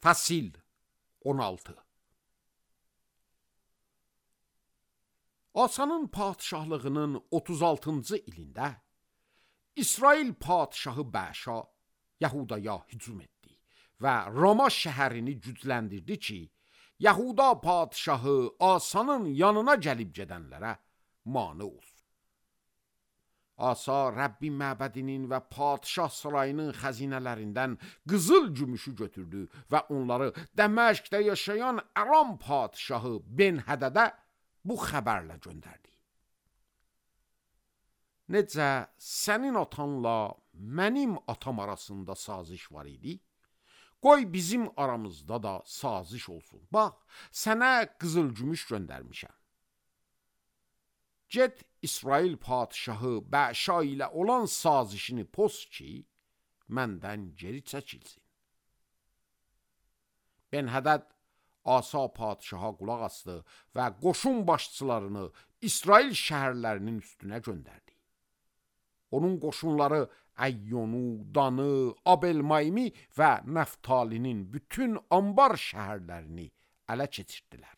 Fəsil 16. Asanın padişahlığının 36-cı ilində İsrail padişahı Bəşa Yahudaya hücum etdi və Roma şəhərini gücləndirdi ki, Yahuda padişahı Asanın yanına gəlib gedənlərə mane olsun. Asa Rəbbin məbədinin və padişah sarayının xəzinələrindən qızıl gümüşü götürdü və onları Dəməşqdə yaşayan Aram padişahı Ben-Hədədə bu xəbərlə göndərdi. Necə sənin atanla mənim atam arasında saziş var idi, qoy bizim aramızda da saziş olsun. Bax, sənə qızıl gümüş göndərmişəm. Get İsrail padişahı Bəşa ilə olan sazişini poz ki, məndən geri çəkilsin. Ben-Hədəd Asa padişaha qulaq asdı və qoşun başçılarını İsrail şəhərlərinin üstünə göndərdi. Onun qoşunları Əyyonu, Danı, Abel-Maymi və Nəftalinin bütün ambar şəhərlərini ələ keçirdilər.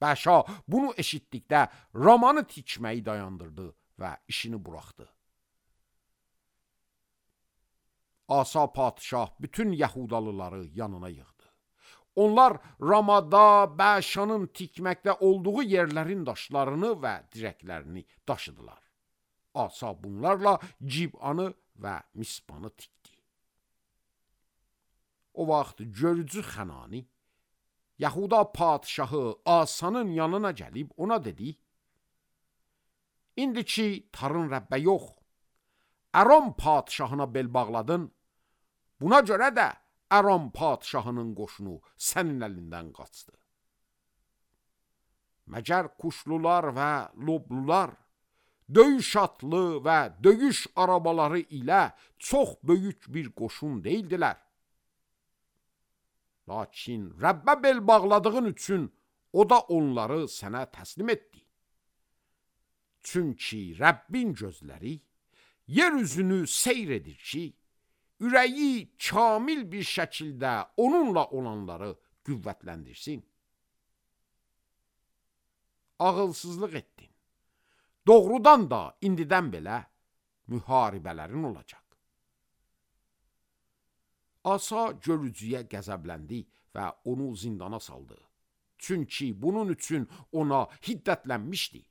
Bəşa bunu eşitdikdə Ramanı tikməyi dayandırdı və işini buraxdı. Asa padişah bütün Yahudalıları yanına yığdı. Onlar Ramada Bəşanın tikməkdə olduğu yerlərin daşlarını və dirəklərini daşıdılar. Asa bunlarla Cib'anı və Mispanı tikdi. O vaxt görücü Xənani Yahuda padişahı Asanın yanına gəlib ona dedi: İndi ki tarın Rəbbə yox, Aram padişahına bel bağladın, buna görə də Aram padişahının qoşunu sənin əlindən qaçdı. Məgər kuşlular və loblular, döyüş atlı və döyüş arabaları ilə çox böyük bir qoşun deyildilər. Lakin Rəbbə bel bağladığın üçün o da onları sənə təslim etdi. Çünki Rəbbin gözləri yer üzünü seyr edir ki, ürəyi kamil bir şəkildə onunla olanları qüvvətləndirsin. Ağılsızlıq etdin. Doğrudan da indidən belə müharibələrin olacaq. Asa görücüyə qəzəbləndi və onu zindana saldı. Çünki bunun üçün ona hiddətlənmişdi.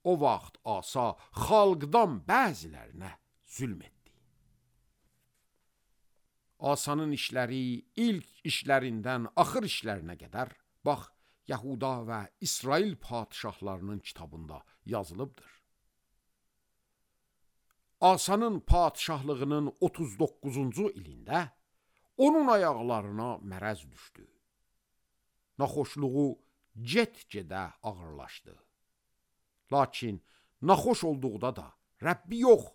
O vaxt Asa xalqdan bəzilərinə zülm etdi. Asanın işləri ilk işlərindən axır işlərinə qədər, bax, Yahuda və İsrail padişahlarının kitabında yazılıbdır. Asanın padişahlığının 39-cu ilində onun ayaqlarına mərəz düşdü. Naxoşluğu get-gedə ağırlaşdı. Lakin naxoş olduqda da Rəbbi yox,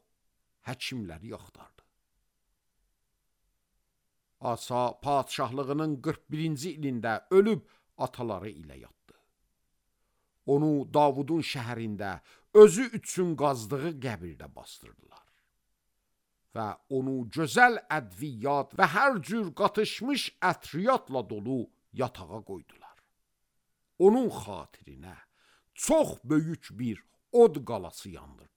həkimləri axtardı. Asa padişahlığının 41-ci ilində ölüb ataları ilə yatdı. Onu Davudun şəhərində özü üçün qazdığı qəbirdə bastırdılar. Və onu gözəl ədviyyat və hər cür qatışmış ətriyatla dolu yatağa qoydular. Onun xatirinə çox böyük bir od qalası yandırdılar.